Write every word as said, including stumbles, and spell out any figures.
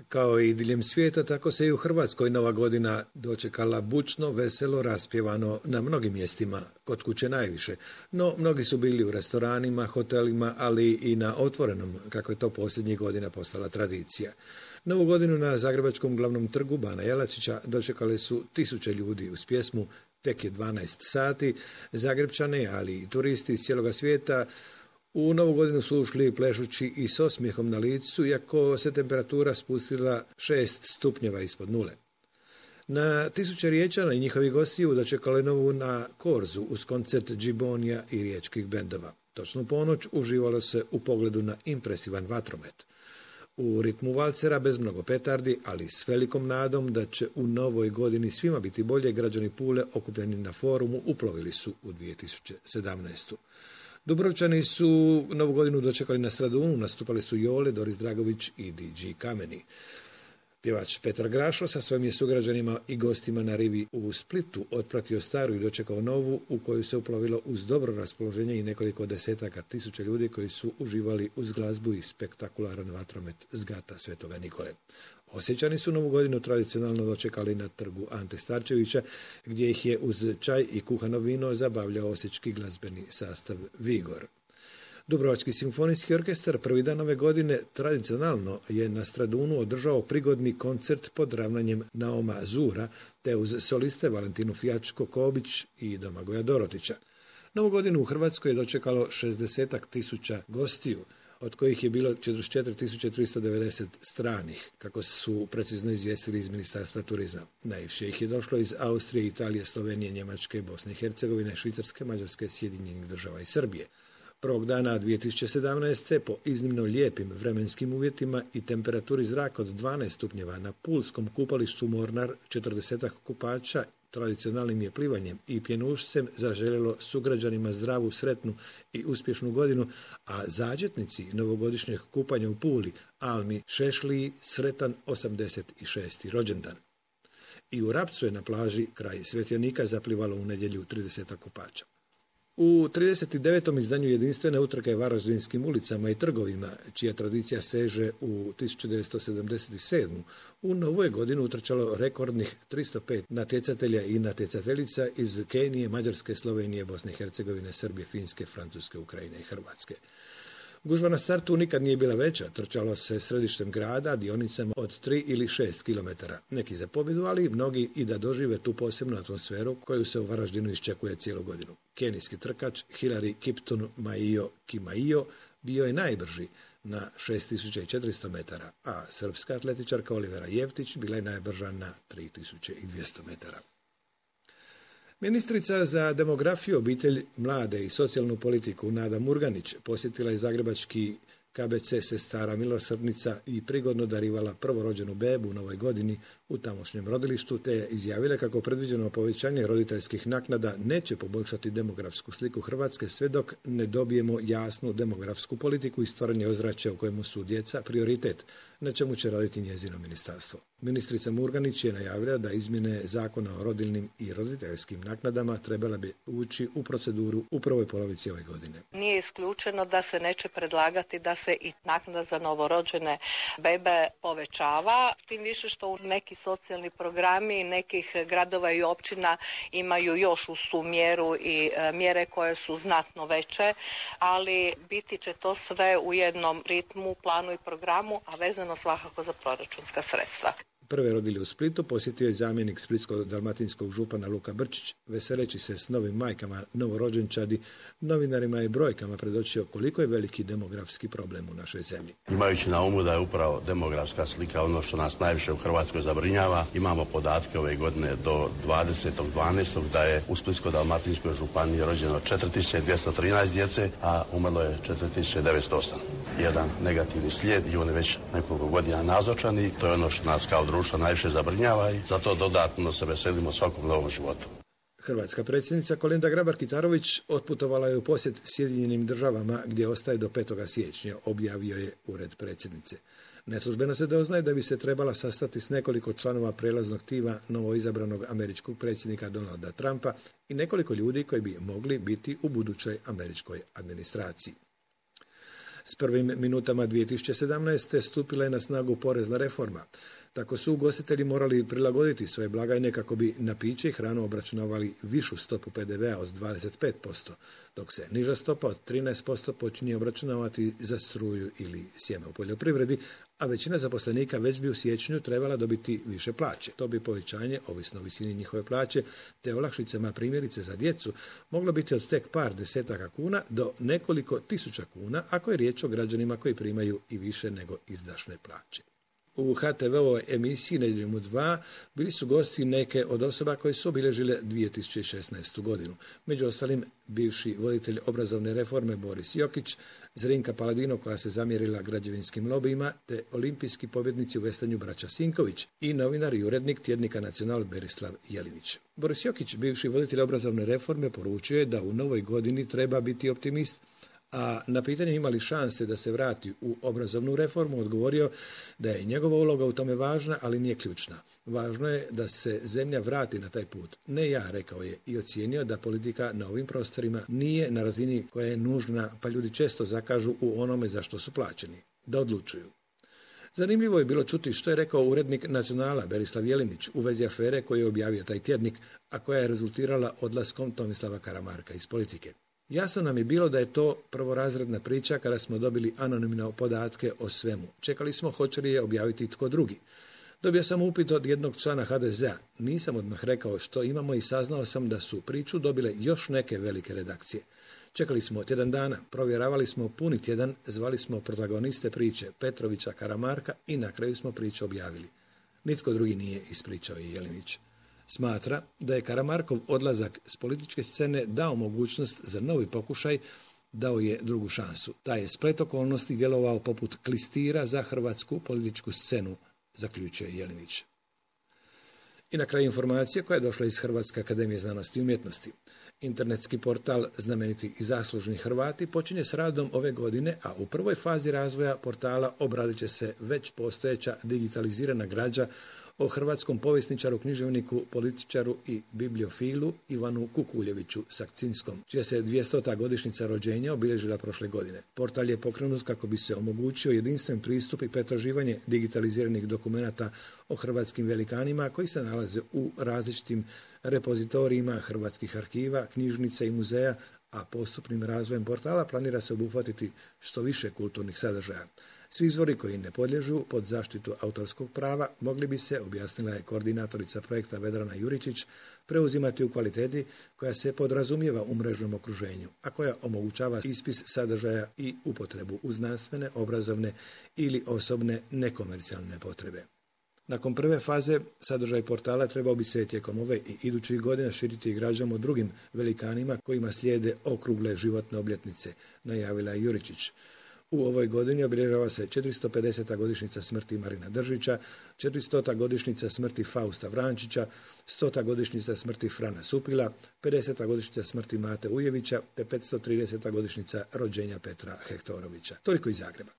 Kao i diljem svijeta, tako se i u Hrvatskoj Nova godina dočekala bučno, veselo, raspjevano na mnogim mjestima, kod kuće najviše. No, mnogi su bili u restoranima, hotelima, ali i na otvorenom, kako je to posljednjih godina postala tradicija. Novu godinu na Zagrebačkom glavnom trgu Bana Jelačića dočekali su tisuće ljudi uz pjesmu Tek je dvanaest sati. Zagrebčani, ali i turisti iz cijeloga svijeta u Novu godinu su ušli plešući i s osmijehom na licu, iako se temperatura spustila šest stupnjeva ispod nule. Na tisuće Riječana i njihovih gostiju dočekali Novu na Korzu uz koncert džibonija i riječkih bendova. Točno u ponoć uživalo se u pogledu na impresivan vatromet. U ritmu valcera bez mnogo petardi, ali s velikom nadom da će u novoj godini svima biti bolje, građani Pule okupljeni na forumu uplovili su u dvije tisuće sedamnaestu. Dubrovčani su Novu godinu dočekali na Stradunu, nastupali su Jole, Doris Dragović i D J Kameni. Pjevač Petar Grašo sa svojim je sugrađanima i gostima na rivi u Splitu otpratio staru i dočekao novu, u koju se uplovilo uz dobro raspoloženje i nekoliko desetaka tisuća ljudi koji su uživali uz glazbu i spektakularan vatromet s gata Svetoga Nikole. Osječani su Novu godinu tradicionalno dočekali na trgu Ante Starčevića, gdje ih je uz čaj i kuhano vino zabavljao osječki glazbeni sastav Vigor. Dubrovački simfonijski orkestar prvi dan ove godine tradicionalno je na Stradunu održao prigodni koncert pod ravnanjem Naoma Zura, te uz soliste Valentinu Fijačko-Kobić i Domagoja Dorotića. Novu godinu u Hrvatskoj je dočekalo šezdeset tisuća gostiju, od kojih je bilo četrdeset četiri tisuće tristo devedeset stranih, kako su precizno izvijestili iz Ministarstva turizma. Najviše ih je došlo iz Austrije, Italije, Slovenije, Njemačke, Bosne i Hercegovine, Švicarske, Mađarske, Sjedinjenih Država i Srbije. Prvog dana dvije tisuće sedamnaeste. po iznimno lijepim vremenskim uvjetima i temperaturi zraka od dvanaest stupnjeva na pulskom kupalištu Mornar, četrdesetak kupača tradicionalnim je plivanjem i pjenušcem zaželjelo sugrađanima zdravu, sretnu i uspješnu godinu, a zađetnici novogodišnjeg kupanja u Puli, Almi Šešliji, sretan osamdeset šesti rođendan. I u Rapcu je na plaži kraj Svjetionika zaplivalo u nedjelju trideset kupača. U trideset devetom izdanju jedinstvene utrke Varaždinskim ulicama i trgovima, čija tradicija seže u tisuću devetsto sedamdeset sedmu. u novoj godini utrčalo rekordnih tristo pet natjecatelja i natjecateljica iz Kenije, Mađarske, Slovenije, Bosne i Hercegovine, Srbije, Finske, Francuske, Ukrajine i Hrvatske. Gužva na startu nikad nije bila veća, trčalo se središtem grada, dionicama od tri ili šest kilometara. Neki za pobjedu, ali mnogi i da dožive tu posebnu atmosferu koju se u Varaždinu iščekuje cijelu godinu. Kenijski trkač Hilary Kipton Maio Kimaio bio je najbrži na šest tisuća četiristo metara, a srpska atletičarka Olivera Jevtić bila je najbrža na tri tisuće dvjesto metara. Ministrica za demografiju, obitelj, mlade i socijalnu politiku Nada Murganić posjetila je zagrebački K B C Sestara Milosrdnica i prigodno darivala prvorođenu bebu u novoj godini u tamošnjem rodilištu, te je izjavila kako predviđeno povećanje roditeljskih naknada neće poboljšati demografsku sliku Hrvatske sve dok ne dobijemo jasnu demografsku politiku i stvaranje ozračja u kojemu su djeca prioritet, na čemu će raditi njezino ministarstvo. Ministrica Murganić je najavila da izmjene zakona o rodiljnim i roditeljskim naknadama trebala bi ući u proceduru u prvoj polovici ove godine. Nije isključeno da se neće predlagati da se i naknada za novorođene bebe povećava, tim više što u neki socijalni programi nekih gradova i općina imaju još uz tu mjeru i e, mjere koje su znatno veće, ali biti će to sve u jednom ritmu, planu i programu, a vezano svakako za proračunska sredstva. Prve rodilje u Splitu posjetio je zamjenik splitsko-dalmatinskog župana Luka Brčić, veseleći se s novim majkama novorođenčadi, novinarima i brojkama predočio koliko je veliki demografski problem u našoj zemlji. Imajući na umu da je upravo demografska slika ono što nas najviše u Hrvatskoj zabrinjava, imamo podatke ove godine do dvadesetog dvanaestog da je u Splitsko-dalmatinskoj županiji rođeno četiri tisuće dvjesto trinaest djece, a umrlo je četiri tisuće devetsto osam. Jedan negativni slijed i on je već nekoliko godina nazočan i to je ono što nas kao društvo najviše zabrinjava i zato dodatno se veselimo svakom novom životu. Hrvatska predsjednica Kolinda Grabar-Kitarović otputovala je u posjet Sjedinjenim Državama gdje ostaje do petog siječnja, objavio je ured predsjednice. Neslužbeno se doznaje da bi se trebala sastati s nekoliko članova prelaznog tima novoizabranog američkog predsjednika Donalda Trumpa i nekoliko ljudi koji bi mogli biti u budućoj američkoj administraciji. S prvim minutama dvije tisuće sedamnaeste. stupila je na snagu porezna reforma. Tako su ugostitelji morali prilagoditi svoje blagajne kako bi na piće i hranu obračunavali višu stopu P D V-a od dvadeset pet posto, dok se niža stopa od trinaest posto počinje obračunavati za struju ili sjeme u poljoprivredi, a većina zaposlenika već bi u siječnju trebala dobiti više plaće. To bi povećanje, ovisno o visini njihove plaće, te olakšicama primjerice za djecu, moglo biti od tek par desetaka kuna do nekoliko tisuća kuna, ako je riječ o građanima koji primaju i više nego izdašne plaće. U H T V-ovoj emisiji Nedjeljom u dva bili su gosti neke od osoba koje su obilježile dvije tisuće šesnaestu. godinu. Među ostalim bivši voditelj obrazovne reforme Boris Jokić, Zrinka Paladino koja se zamjerila građevinskim lobijima, te olimpijski pobjednici u vestanju braća Sinković i novinar i urednik tjednika Nacional Berislav Jelinić. Boris Jokić, bivši voditelj obrazovne reforme, poručuje da u novoj godini treba biti optimist, a na pitanje ima li šanse da se vrati u obrazovnu reformu odgovorio da je njegova uloga u tome važna, ali nije ključna. Važno je da se zemlja vrati na taj put. Ne ja, rekao je, i ocijenio da politika na ovim prostorima nije na razini koja je nužna, pa ljudi često zakažu u onome za što su plaćeni. Da odlučuju. Zanimljivo je bilo čuti što je rekao urednik Nacionala Berislav Jelinić u vezi afere koju je objavio taj tjednik, a koja je rezultirala odlaskom Tomislava Karamarka iz politike. Jasno nam je bilo da je to prvorazredna priča kada smo dobili anonimne podatke o svemu. Čekali smo hoće li je objaviti tko drugi. Dobio sam upit od jednog člana H D Z-a. Nisam odmah rekao što imamo i saznao sam da su priču dobile još neke velike redakcije. Čekali smo tjedan dana, provjeravali smo puni tjedan, zvali smo protagoniste priče Petrovića, Karamarka i na kraju smo priču objavili. Nitko drugi nije, ispričao i Jelinić. Smatra da je Karamarkov odlazak s političke scene dao mogućnost za novi pokušaj, dao je drugu šansu. Taj je splet okolnosti djelovao poput klistira za hrvatsku političku scenu, zaključuje Jelinić. I na kraju informacija koja je došla iz Hrvatske akademije znanosti i umjetnosti. Internetski portal Znameniti i zaslužni Hrvati počinje s radom ove godine, a u prvoj fazi razvoja portala obradit će se već postojeća digitalizirana građa o hrvatskom povjesničaru, književniku, političaru i bibliofilu Ivanu Kukuljeviću Sakcinskom, čija se dvjestota godišnjica rođenja obilježila prošle godine. Portal je pokrenut kako bi se omogućio jedinstven pristup i pretraživanje digitaliziranih dokumenata o hrvatskim velikanima koji se nalaze u različitim repozitorijima hrvatskih arhiva, knjižnica i muzeja, a postupnim razvojem portala planira se obuhvatiti što više kulturnih sadržaja. Svi izvori koji ne podliježu pod zaštitu autorskog prava mogli bi se, objasnila je koordinatorica projekta Vedrana Juričić, preuzimati u kvaliteti koja se podrazumijeva u mrežnom okruženju, a koja omogućava ispis sadržaja i upotrebu u znanstvene, obrazovne ili osobne nekomercijalne potrebe. Nakon prve faze, sadržaj portala trebao bi se tijekom ove i idućih godina širiti građama o drugim velikanima kojima slijede okrugle životne obljetnice, najavila je Juričić. U ovoj godini obilježava se četiristo pedeseta godišnjica smrti Marina Držića, četiristota godišnjica smrti Fausta Vrančića, stota godišnjica smrti Frana Supila, pedeseta godišnjica smrti Mate Ujevića te petsto trideseta godišnjica rođenja Petra Hektorovića. Toliko iz Zagreba.